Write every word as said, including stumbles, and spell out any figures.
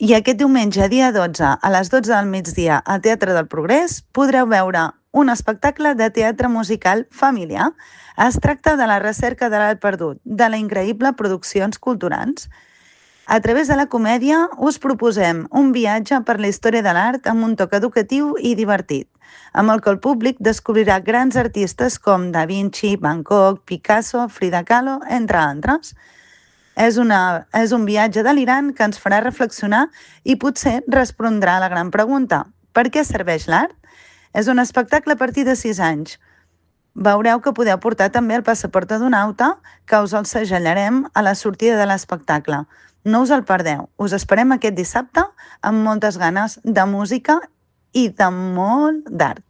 I aquest diumenge, dia dotze, a les dotze del migdia, al Teatre del Progrés, podreu veure un espectacle de teatre musical familiar. Es tracta de La recerca de l'art perdut, de la increïble Produccions Culturals. A través de la comèdia us proposem un viatge per la història de l'art amb un toc educatiu i divertit, amb el que el públic descobrirà grans artistes com Da Vinci, Van Gogh, Picasso, Frida Kahlo, entre altres. És, una, és un viatge delirant que ens farà reflexionar i potser respondrà a la gran pregunta: per què serveix l'art? És un espectacle a partir de sis anys. Veureu que podeu portar també el passaport d'adonauta, que us el segellarem a la sortida de l'espectacle. No us el perdeu. Us esperem aquest dissabte amb moltes ganes de música i de molt d'art.